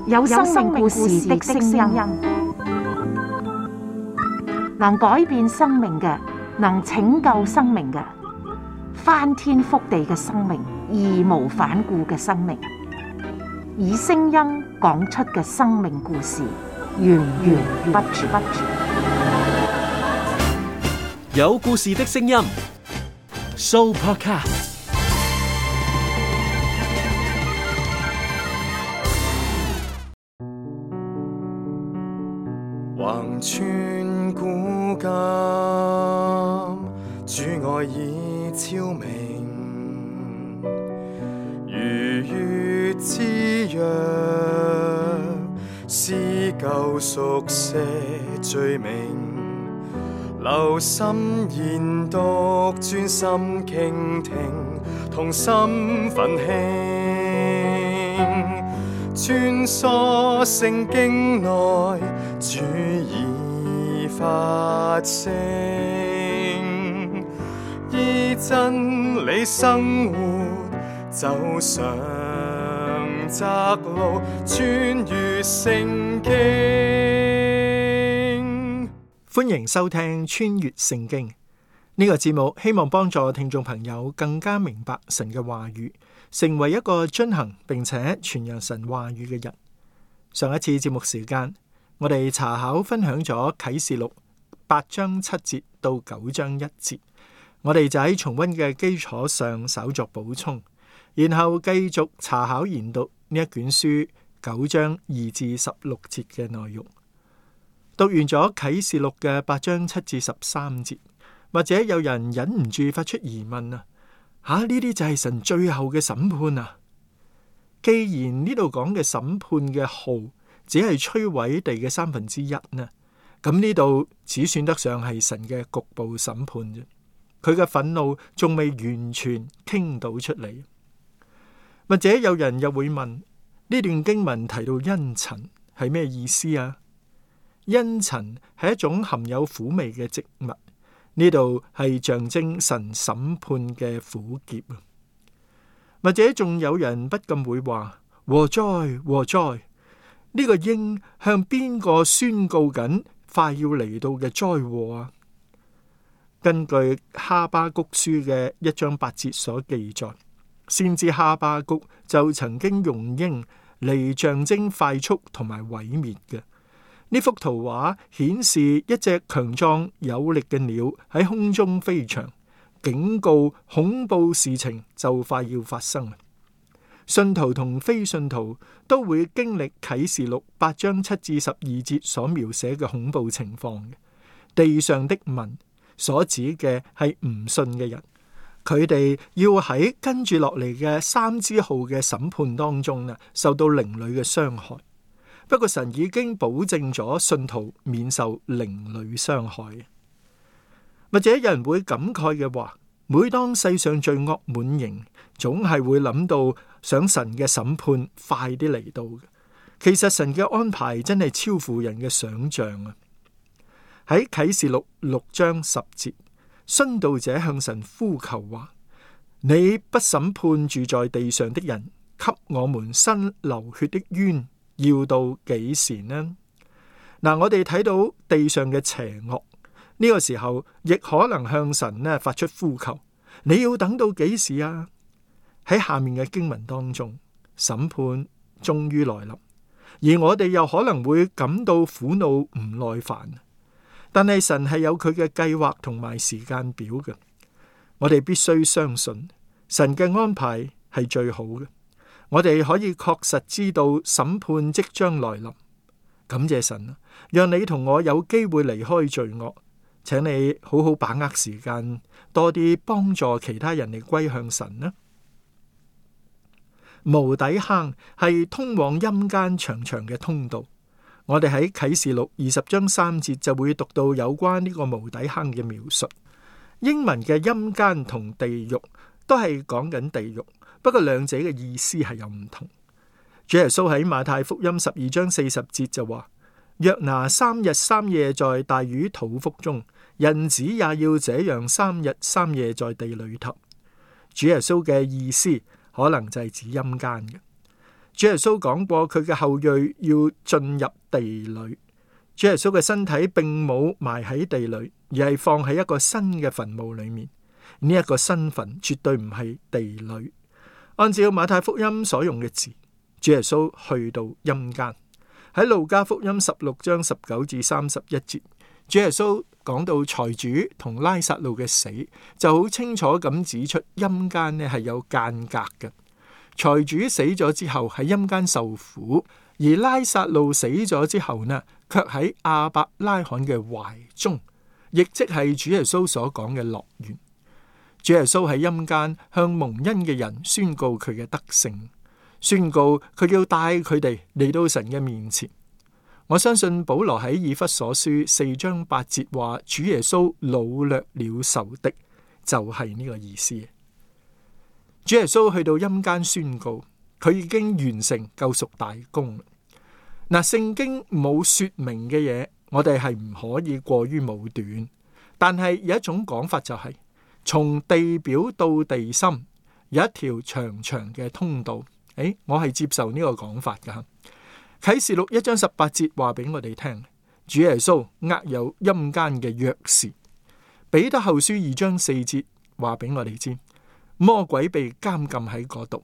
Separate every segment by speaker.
Speaker 1: 有生命故事的聲音，能改變生命嘅，能拯救生命嘅，翻天覆地嘅生命，義無反顧嘅生命，以聲音講出嘅生命故事，源源不絕。
Speaker 2: 有故事的聲音 ，Sooopodcast。
Speaker 3: 橫穿古今，主愛已超明，如月之約，撕舊熟寫罪名，留心研讀，專心傾聽，同心奮興，穿梭聖經內，主已發聲，依真理生活，走上窄路，穿越聖經。
Speaker 4: 歡迎收聽穿越聖經呢個節目，希望幫助聽眾朋友更加明白神嘅話語，成為一個遵行並且傳揚神話語嘅人。上一次節目時間，我哋查考分享咗啟示錄8章7節到9章1節，我哋就喺重溫嘅基礎上稍作補充，然後繼續查考研讀呢一卷書9章2至16節嘅內容。讀完咗啟示錄嘅8章7至13節，或者有人忍唔住發出疑問啊，呢啲就係神最後嘅審判啊！既然呢度講嘅審判嘅號只係摧毀地嘅1/3呢，咁呢度只算得上係神嘅局部審判啫。佢嘅憤怒仲未完全傾倒出嚟。或者有人又會問，呢段經文提到茵陳係咩意思啊？茵陳係一種含有苦味嘅植物，呢度係象徵神審判嘅苦澀啊。或者仲有人不禁會話：禍哉禍哉！呢個鷹向邊個宣告緊快要嚟到嘅災禍啊？根據哈巴谷書嘅1章8節所記載，先知哈巴谷就曾經用鷹嚟象徵快速同埋毀滅嘅。呢幅圖畫顯示一隻強壯有力嘅鳥喺空中飛翔，警告恐怖事情就快要發生。信徒同非信徒都會經歷啟示錄8章7至12節所描寫嘅恐怖情況嘅。地上的民所指嘅係唔信嘅人，佢哋要喺跟住落嚟嘅3支號嘅審判當中受到靈裏嘅傷害。不過神已經保證咗信徒免受靈裏傷害。或者有人會感慨嘅話，每當世上罪惡滿盈，總係會諗到想神嘅審判快啲嚟到嘅。其實神嘅安排真係超乎人嘅想象啊！喺啟示錄6章10節，殉道者向神呼求話：你不審判住在地上的人，給我們伸流血的冤，要到幾時呢？我哋睇到地上嘅邪惡，呢個時候亦可能向神發出呼求：你要等到幾時啊？喺下面嘅經文當中，審判終於來臨，而我哋又可能會感到苦惱唔耐煩。但係神係有佢嘅計劃同埋時間表嘅，我哋必須相信神嘅安排係最好嘅。我哋可以確實知道審判即將來臨。感謝神啊，讓你同我有機會離開罪惡，請你好好把握時間，多啲幫助其他人嚟歸向神啦。無底坑係通往陰間長長嘅通道。我哋喺啟示錄20章3節就會讀到有關呢個無底坑嘅描述。英文嘅陰間同地獄都係講緊地獄，不過兩者嘅意思係有唔同。主耶穌喺馬太福音12章40節就話：約拿3日3夜在大魚肚腹中，人子也要這樣3日3夜在地裏頭。主耶穌嘅意思可能就係指陰間嘅。主耶穌講過佢嘅後裔要進入地裏。主耶穌嘅身體並冇埋喺地裏，而係放喺一個新嘅墳墓裏面。呢一個新墳絕對唔係地裏。按照馬太福音所用嘅字，主耶穌去到陰間。喺路加福音16章19至31節，主耶穌講到財主同拉撒路嘅死，就好清楚咁指出陰間呢係有間隔嘅。財主死咗之後喺陰間受苦，而拉撒路死咗之後呢，卻喺亞伯拉罕嘅懷中，亦即係主耶穌所講嘅樂園。主耶穌喺陰間向蒙恩嘅人宣告佢嘅德性，宣告佢要帶佢哋嚟到神嘅面前。我相信保羅喺以弗所書4章8節話，主耶穌擄掠了仇敵，就係呢個意思。主耶穌去到陰間宣告，佢已經完成救贖大功。嗱，聖經冇說明嘅嘢，我哋係唔可以過於武斷。但係有一種講法就係，從地表到地心有一條長長嘅通道。我係接受呢個講法噶。啟示錄1章18節話俾我哋聽，主耶穌握有陰間嘅鑰匙。彼得後書2章4節話俾我哋知，魔鬼被監禁喺嗰度。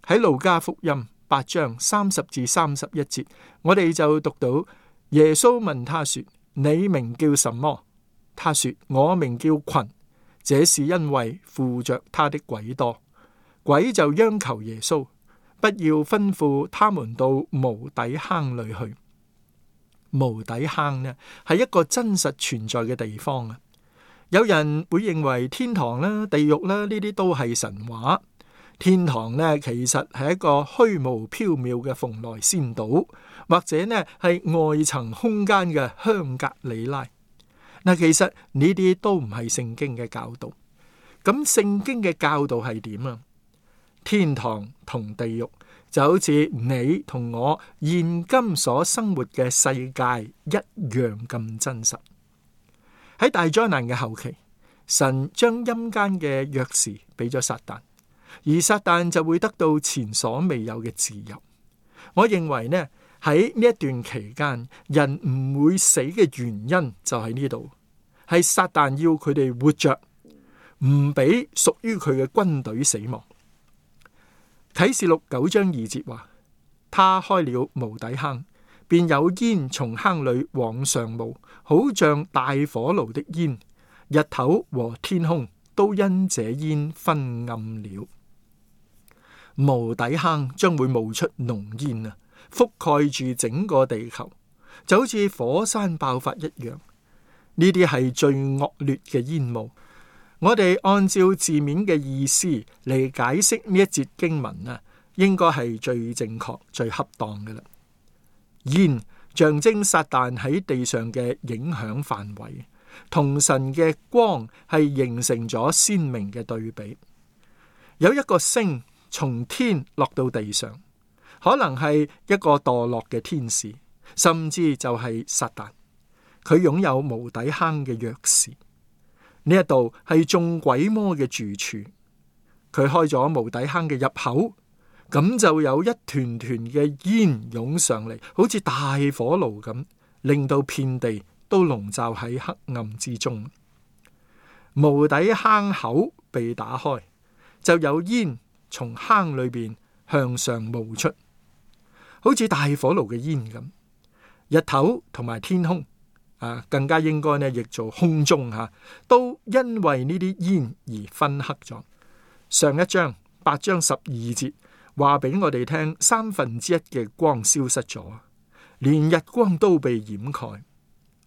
Speaker 4: 喺路加福音8章30至31節，我哋就讀到耶穌問他說：你名叫什麼？他說：我名叫群。這是因為附着他的鬼多。鬼就央求耶穌，不要吩咐他們到無底坑裏去。無底坑呢，係一個真實存在嘅地方啊！有人會認為天堂啦、地獄啦，呢啲都係神話。天堂呢，其實係一個虛無縹緲嘅蓬萊仙島，或者呢係外層空間嘅香格里拉。嗱，其實呢啲都唔係聖經嘅教導。咁聖經嘅教導係點啊？天堂同地獄就好似你同我現今所生活嘅世界一樣咁真實。喺大災難嘅後期，神將陰間嘅鑰匙俾咗撒旦，而撒旦就會得到前所未有嘅自由。我認為呢，喺呢一段期間，人唔會死嘅原因就喺呢度，係撒旦要佢哋活着，唔俾屬於佢嘅軍隊死亡。啟示錄9章2節話，他開了無底坑，便有煙從坑裏往上冒，好像大火爐的煙。日頭和天空都因這煙昏暗了。無底坑將會冒出濃煙啊，覆蓋住整個地球，就好似火山爆發一樣。呢啲係最惡劣嘅煙霧。我哋按照字面嘅意思嚟解釋呢一節經文啊，應該係最正確、最恰當嘅啦。煙象徵撒旦喺地上嘅影響範圍，同神嘅光係形成咗鮮明嘅對比。有一個星從天落到地上，可能係一個墮落嘅天使，甚至就係撒旦。佢擁有無底坑嘅鑰匙。呢一度係眾鬼魔嘅住處，佢開咗無底坑嘅入口，咁就有一團團嘅煙湧上嚟，好似大火爐咁，令到遍地都籠罩喺黑暗之中。無底坑口被打開，就有煙從坑裏邊向上冒出，好似大火爐嘅煙咁。日頭同埋天空更加應該呢，譯做空中都因為呢啲煙而昏黑咗。上一章8章12節話俾我哋聽，1/3嘅光消失咗，連日光都被掩蓋。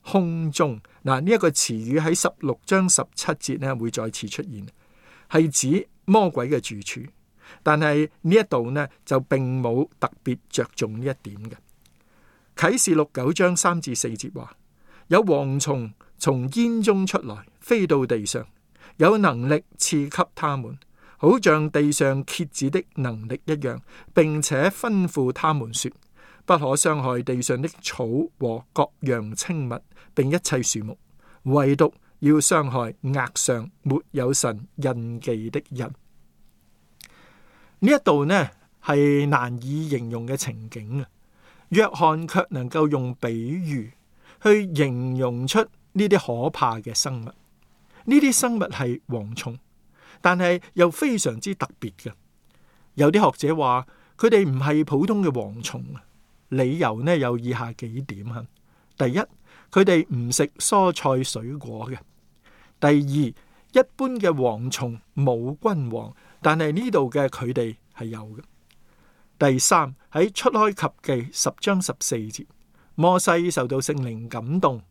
Speaker 4: 空中呢一個詞語喺16章17節呢會再次出現，係指魔鬼嘅住處。但係呢一度呢就並冇特別着重呢一點嘅。啟示錄9章3至4節話，有蝗蟲從煙中出來，飛到地上，有能力賜給他們，好像地上蠍子的能力一樣，並且吩咐他們說，不可傷害地上的草和各樣青物，並一切樹木，唯獨要傷害額上沒有神印記的人。呢一度呢係難以形容嘅情景啊。約翰卻能夠用比喻去形容出呢啲可怕嘅生物。呢啲生物係蝗蟲，但係又非常之特別嘅。有啲學者話佢哋唔係普通嘅蝗蟲，理由呢有以下幾點啊。第一，佢哋唔食蔬菜水果嘅。第二，一般嘅蝗蟲冇君王，但係呢度嘅佢哋係有嘅。第三，喺出埃及記10章14節，摩西受到聖靈感動，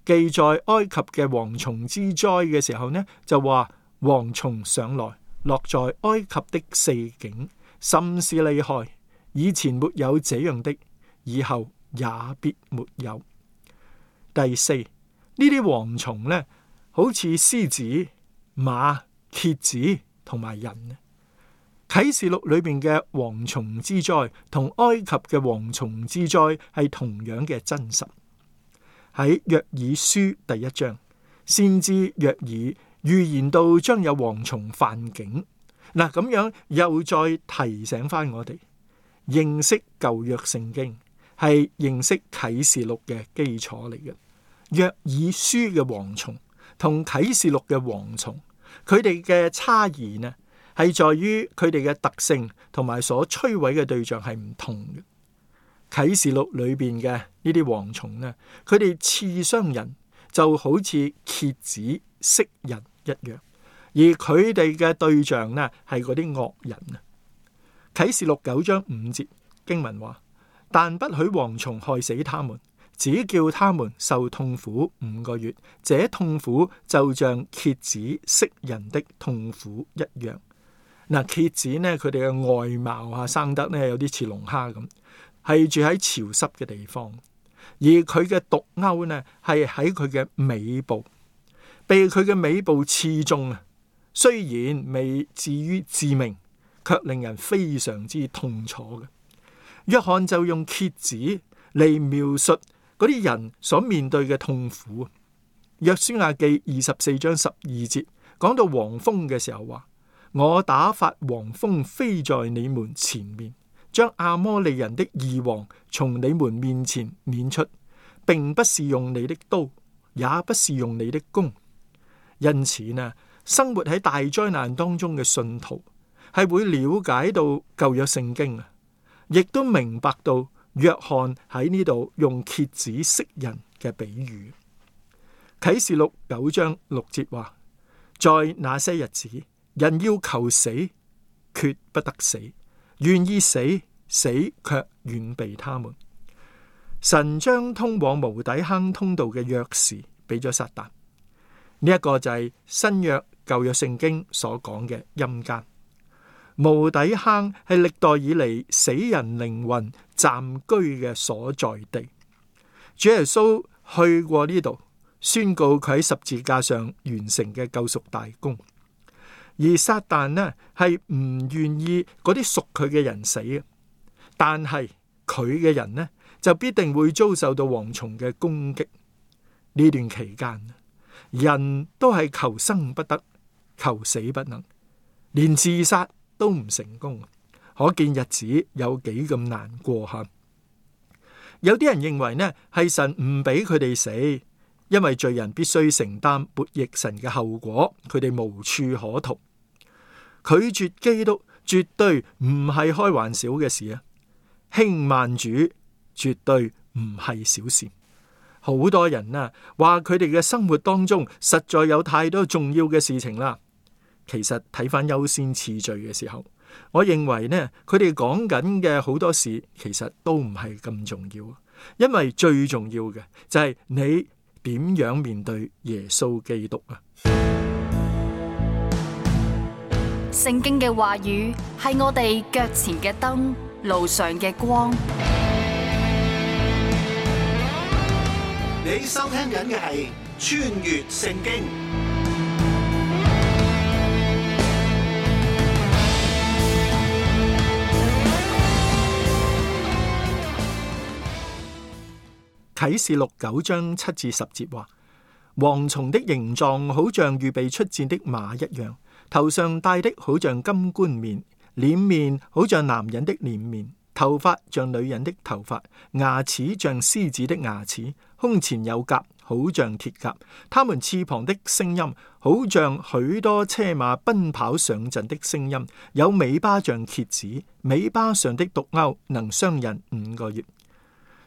Speaker 4: 記載埃及嘅蝗蟲之災嘅時候呢，就話蝗蟲上來，落在埃及的四境，甚是厲害，以前沒有這樣的，以後也必沒有。第四，呢啲蝗蟲呢，好似獅子、馬、蠍子同埋人。啟示錄裏邊嘅蝗蟲之災同埃及嘅蝗蟲之災係同樣嘅真實。喺約珥書第1章，先知約珥預言到將有蝗蟲犯境。嗱，咁樣又再提醒翻我哋，認識舊約聖經係認識啟示錄嘅基礎嚟嘅。約珥書嘅蝗蟲同啟示錄嘅蝗蟲，佢哋嘅差異呢，係在於佢哋嘅特性同埋所摧毀嘅對象係唔同嘅。啟示錄裏邊嘅呢啲蝗蟲呢，佢哋刺傷人就好似蠍子螫人一樣，而佢哋嘅對象呢係嗰啲惡人啊。啟示錄9章5節經文話：但不許蝗蟲害死他們，只叫他們受痛苦5個月，這痛苦就像蠍子螫人的痛苦一樣。嗱，蠍子呢，佢哋嘅外貌生得呢有啲似龍蝦咁，係住喺潮濕嘅地方，而佢嘅毒鈎呢係喺佢嘅尾部，被佢嘅尾部刺中啊。雖然未至於致命，卻令人非常之痛楚嘅。約翰就用蠍子嚟描述嗰啲人所面對嘅痛苦。約書亞記24章12節講到黃蜂嘅時候話：我打發黃蜂飛在你們前面，將亞摩利人的二王從你們面前攆出，並不是用你的刀，也不是用你的弓。因此呢，生活喺大災難當中嘅信徒係會了解到舊約聖經啊，亦都明白到約翰喺呢度用蠍子螫人嘅比喻。啟示錄9章6節話：在那些日子，人要求死，決不得死；願意死，死卻遠避他們。神將通往無底坑通道嘅鑰匙俾咗撒旦。呢一個就係新約舊約聖經所講嘅陰間。無底坑係歷代以嚟死人靈魂暫居嘅所在地。主耶穌去過呢度，宣告佢喺十字架上完成嘅救贖大功。而撒旦呢係唔願意嗰啲屬佢嘅人死嘅，但係佢嘅人呢就必定會遭受到蝗蟲嘅攻擊。呢段期間，人都係求生不得，求死不能，連自殺都唔成功，可見日子有幾咁難過吓。有啲人認為呢係神唔俾佢哋死，因為罪人必須承擔悖逆神嘅後果，佢哋無處可逃。拒絕基督絕對唔係開玩笑嘅事啊！輕慢主絕對唔係小事。好多人啊話佢哋嘅生活當中實在有太多重要嘅事情啦。其實睇返優先次序嘅時候，我認為呢，佢哋講緊嘅好多事其實都唔係咁重要，因為最重要嘅就係你點樣面對耶穌基督啊！
Speaker 5: 聖經嘅話語係我哋腳前嘅燈，路上嘅光。
Speaker 6: 你收聽緊嘅係穿越聖經。
Speaker 4: 啟示錄9章7至10節話：蝗蟲的形狀好像預備出戰的馬一樣，頭上戴的好像金冠冕，臉面好像男人的臉面，頭髮像女人的頭髮，牙齒像獅子的牙齒，胸前有甲，好像鐵甲。他們翅膀的聲音，好像許多車馬奔跑上陣的聲音。有尾巴像蝎子，尾巴上的毒鈎能傷人5個月。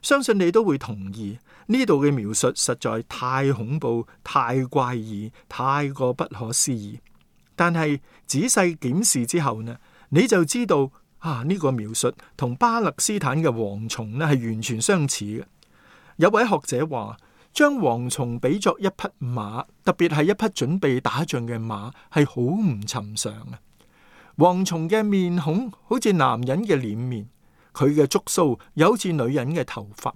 Speaker 4: 相信你都會同意，呢度嘅描述實在太恐怖、太怪異、太過不可思議。但係仔細檢視之後呢，你就知道呢個描述同巴勒斯坦嘅蝗蟲呢係完全相似嘅。有位學者話，將蝗蟲比作一匹馬，特別係一匹準備打仗嘅馬，係好唔尋常啊！蝗蟲嘅面孔好似男人嘅臉面，佢嘅觸鬚又好似女人嘅頭髮。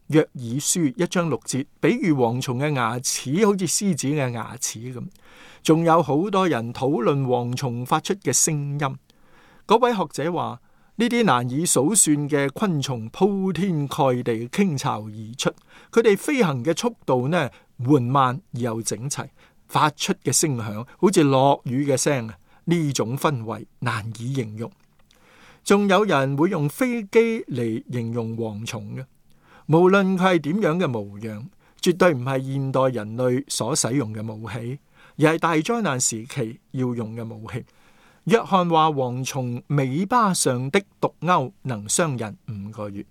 Speaker 4: 約珥書1章6節，比喻蝗蟲嘅牙齒好似獅子嘅牙齒咁。仲有好多人討論蝗蟲發出嘅聲音。嗰位學者話，呢啲難以數算嘅昆蟲鋪天蓋地傾巢而出，佢哋飛行嘅速度呢緩慢而又整齊，發出嘅聲響好似落雨嘅聲。呢種氛圍難以形容。仲有人會用飛機嚟形容蝗蟲嘅，無論佢係點樣嘅模樣，絕對唔係現代人類所使用嘅武器，而係大災難時期要用嘅武器。約翰話，蝗蟲尾巴上的毒鈎能傷人5個月。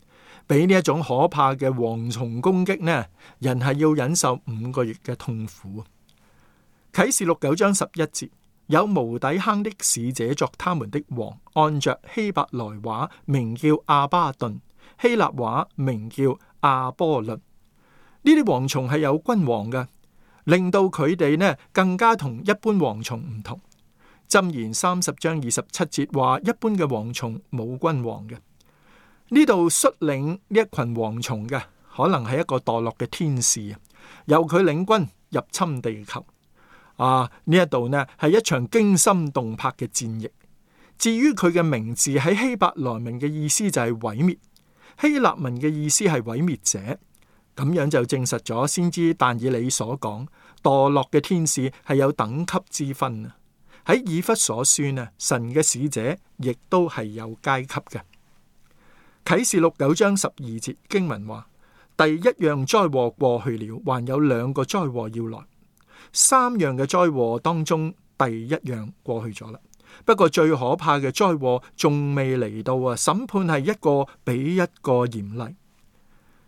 Speaker 4: 俾呢一種可怕嘅蝗蟲攻擊呢，人係要忍受5個月嘅痛苦。啟示錄9章11節，有無底坑的使者作他們的王，按着希伯來話名叫阿巴頓，希臘話名叫阿波倫。呢啲蝗蟲係有君王嘅，令到佢哋呢更加同一般蝗蟲唔同。箴言30章27節話，一般嘅蝗蟲冇君王嘅。呢度率領呢一群蝗蟲嘅，可能係一個墮落嘅天使，由佢領軍入侵地球。呢一度呢係一場驚心動魄嘅戰役。至於佢嘅名字喺希伯來文嘅意思就係毀滅，希臘文嘅意思係毀滅者。咁樣就證實咗先知但以理所講，墮落嘅天使係有等級之分啊。喺以弗所書呢，神嘅使者亦都係有階級嘅。啟示錄9章12節經文話，第一樣災禍過去了，還有2個災禍要來。3樣嘅災禍當中，第一樣過去咗啦。不過最可怕嘅災禍仲未嚟到啊！審判係一個比一個嚴厲。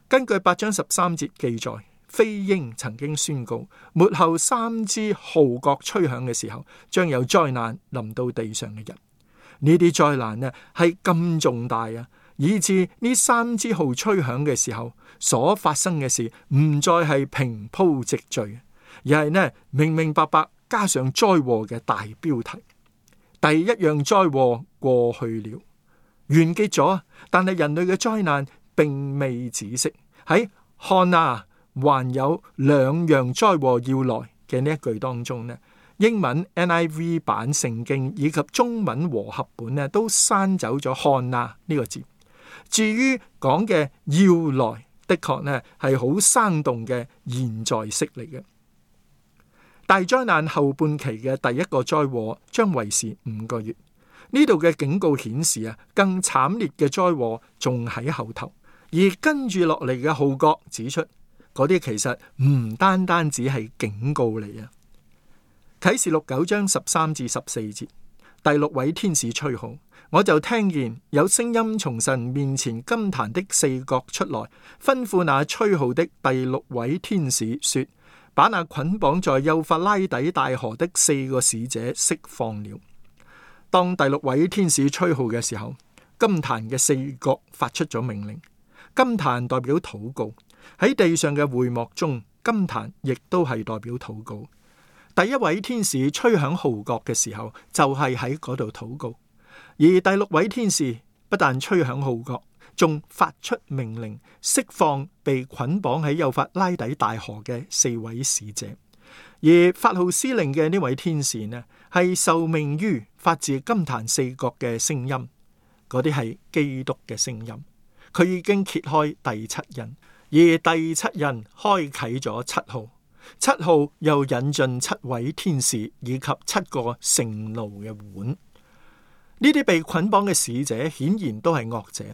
Speaker 4: 根據8章13節記載，飛鷹曾經宣告，末後3支號角吹響嘅時候，將有災難臨到地上嘅人。呢啲災難呢係咁重大啊，以致呢3支號吹響嘅時候所發生嘅事唔再係平鋪直敘，而係呢明明白白加上災禍嘅大標題。第一樣災禍過去了，完結咗，但係人類嘅災難並未止息。喺看啊，還有2樣災禍要來嘅呢一句當中呢，英文 NIV 版聖經以及中文和合本呢都刪走咗看啊呢個字。至於講嘅要來，的確呢係好生動嘅現在式嚟嘅。大災難後半期嘅第一個災禍將維持5個月。呢度嘅警告顯示啊，更慘烈嘅災禍仲喺後頭。而跟住落嚟嘅號角指出，嗰啲其實唔單單只係警告嚟啊。啟示錄9章13至14節，第6位天使吹號，我就聽見有聲音從神面前金壇的4角出來，吩咐那吹號的第6位天使說，把那捆綁在幼發拉底大河的4個使者釋放了。當第6位天使吹號嘅時候，金壇嘅4角發出咗命令。金壇代表禱告，喺地上嘅會幕中，金壇亦都係代表禱告。第一位天使吹響號角嘅時候，就係喺嗰度禱告。而第6位天使不但吹響號角，仲發出命令，釋放被捆綁喺幼發拉底大河嘅4位使者。而發號施令嘅呢位天使呢，係受命於發自金壇4角嘅聲音，嗰啲係基督嘅聲音。佢已經揭開第7印，而第7印開啟咗7號，7號又引進7位天使以及7個盛怒嘅碗。呢啲被捆綁嘅使者顯然都係惡者。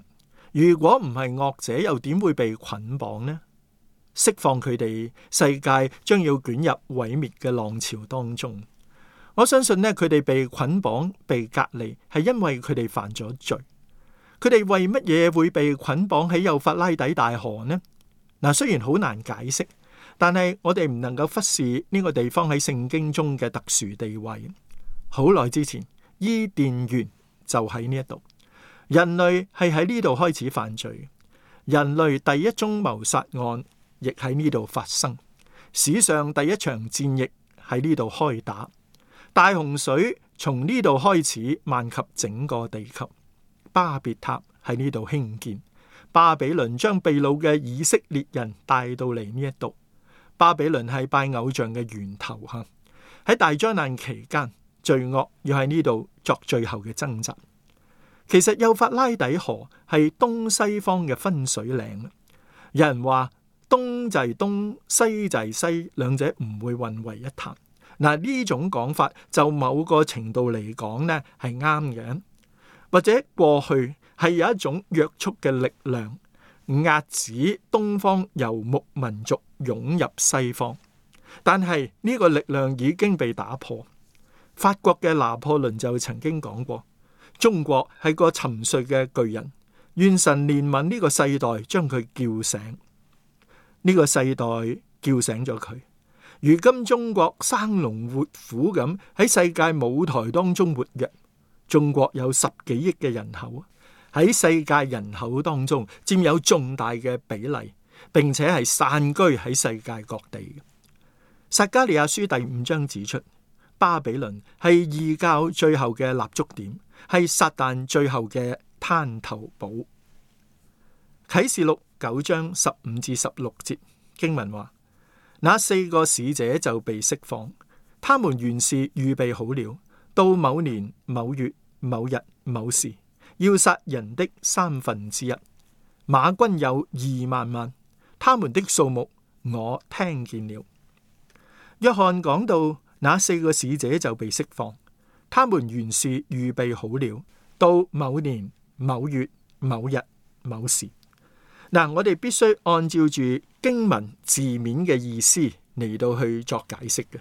Speaker 4: 如果唔係惡者，又點會被捆綁呢？釋放佢哋，世界將要捲入毀滅嘅浪潮當中。我相信呢，佢哋被捆綁、被隔離，係因為佢哋犯咗罪。佢哋為乜嘢會被捆綁喺幼發拉底大河呢？嗱，雖然好難解釋，但係我哋唔能夠忽視呢個地方喺聖經中嘅特殊地位。好耐之前，伊甸園就喺呢一度，人類係喺呢度開始犯罪，人類第一宗謀殺案亦喺呢度發生，史上第一場戰役喺呢度開打，大洪水從呢度開始漫及整個地球，巴別塔喺呢度興建，巴比倫將被擄嘅以色列人帶到嚟呢一度。巴比倫係拜偶像嘅源頭吓，喺大災難期間，罪惡要喺呢度作最後嘅掙扎。其實幼發拉底河係東西方嘅分水嶺，有人話東就係東，西就係西，兩者唔會混為一談。嗱，呢種講法就某個程度嚟講呢係啱嘅，或者過去係有一種約束嘅力量壓止東方游牧民族湧入西方，但係呢個力量已經被打破。法國嘅拿破崙就曾經講過，中國係個沉睡嘅巨人，願神憐憫呢個世代，將佢叫醒。呢個世代叫醒咗佢，如今中國生龍活虎咁喺世界舞台當中活躍。中國有10幾億嘅人口，喺世界人口當中佔有重大嘅比例，並且係散居喺世界各地。撒迦利亞書第5章指出，巴比倫係異教最後嘅立足點，係撒旦最後嘅灘頭堡。啟示錄9章15至16節經文話，那4個使者就被釋放，他們原是預備好了，到某年某月某日某時，要殺人的1/3。馬軍有2萬萬，他們的數目我聽見了。約翰講到那4個使者就被釋放，他們原是預備好了，到某年某月某日某時。嗱，我哋必須按照住經文字面嘅意思嚟到去作解釋嘅。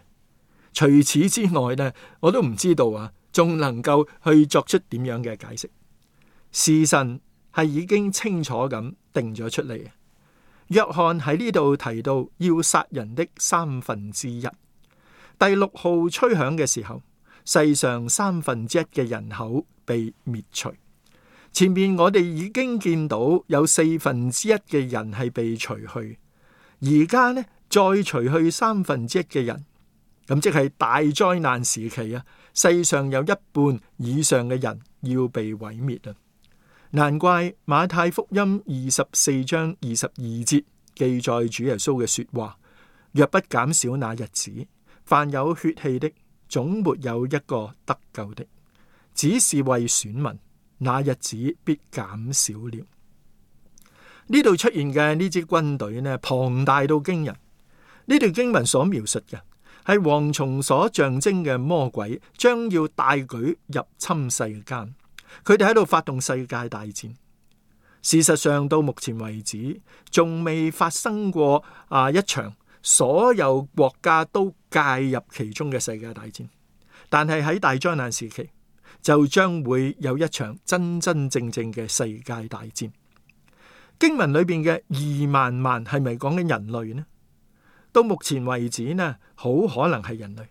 Speaker 4: 除此之外呢，我都唔知道仲能夠去作出點樣嘅解釋。時辰係已經清楚咁定咗出嚟。約翰喺呢度提到要殺人的1/3。第6號吹響嘅時候，世上1/3嘅人口被滅除。前面我哋已經見到有1/4嘅人係被除去，而家呢再除去1/3嘅人，咁即係大災難時期啊！世上有1半以上嘅人要被毀滅啊！難怪馬太福音24章22節記載主耶穌嘅說話：若不減少那日子，凡有血氣的，總沒有一個得救的，只是為選民。那日子必減少了。呢度出現嘅呢支軍隊呢，龐大到驚人。呢段經文所描述嘅係蝗蟲所象徵嘅魔鬼將要大舉入侵世間，佢哋喺度發動世界大戰。事實上到目前為止仲未發生過一場所有國家都介入其中嘅世界大戰，但係喺大災難時期就將會有一場真真正正嘅世界大戰。經文裏邊嘅2萬萬係咪講緊人類呢？到目前為止呢，好可能係人類，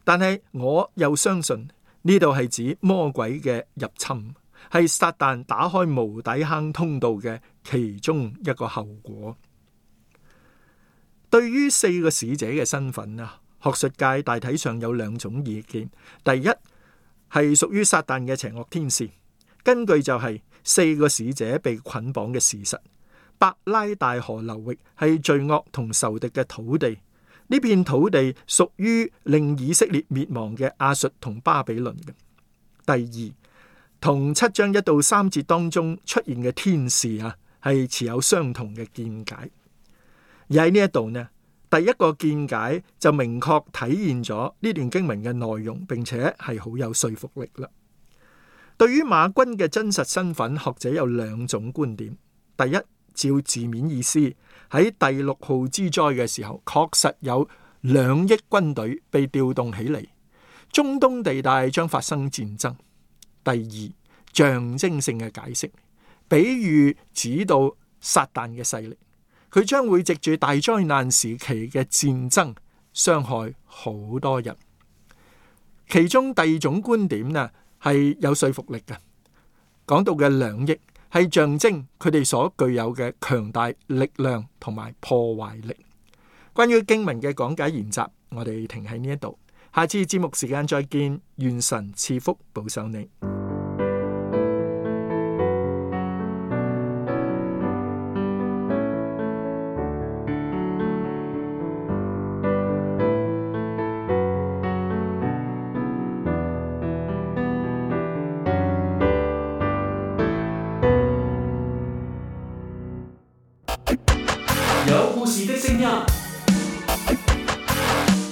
Speaker 4: 但係我又相信呢度係指魔鬼嘅入侵，係撒旦打開無底坑通道嘅其中一個後果。對於4個使者嘅身份啊，學術界大體上有2種意見。第一，係屬於撒旦嘅邪惡天使，根據就係4個使者被捆綁嘅事實。伯拉大河流域係罪惡同仇敵嘅土地，呢片土地屬於令以色列滅亡嘅亞述同巴比倫嘅。第二，同7章1到3節當中出現嘅天使係持有相同嘅見解。而喺呢一度呢，第一個見解就明確體現咗呢段經文嘅內容，並且係好有說服力啦。對於馬君嘅真實身份，學者有兩種觀點。第一，照字面意思，喺第6號之災嘅時候，確實有2億軍隊被調動起嚟，中東地帶將發生戰爭。第二，象徵性嘅解釋，比喻指到撒旦嘅勢力，佢將會藉住大災難時期嘅戰爭傷害好多人。其中第二種觀點呢，係有說服力嘅，講到嘅2億係象徵佢哋所具有嘅強大力量同埋破壞力。關於經文嘅講解研習，我哋停喺呢一度，下次節目時間再見，願神賜福保守你。
Speaker 2: 有故事的聲音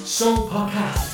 Speaker 2: ，Show Podcast。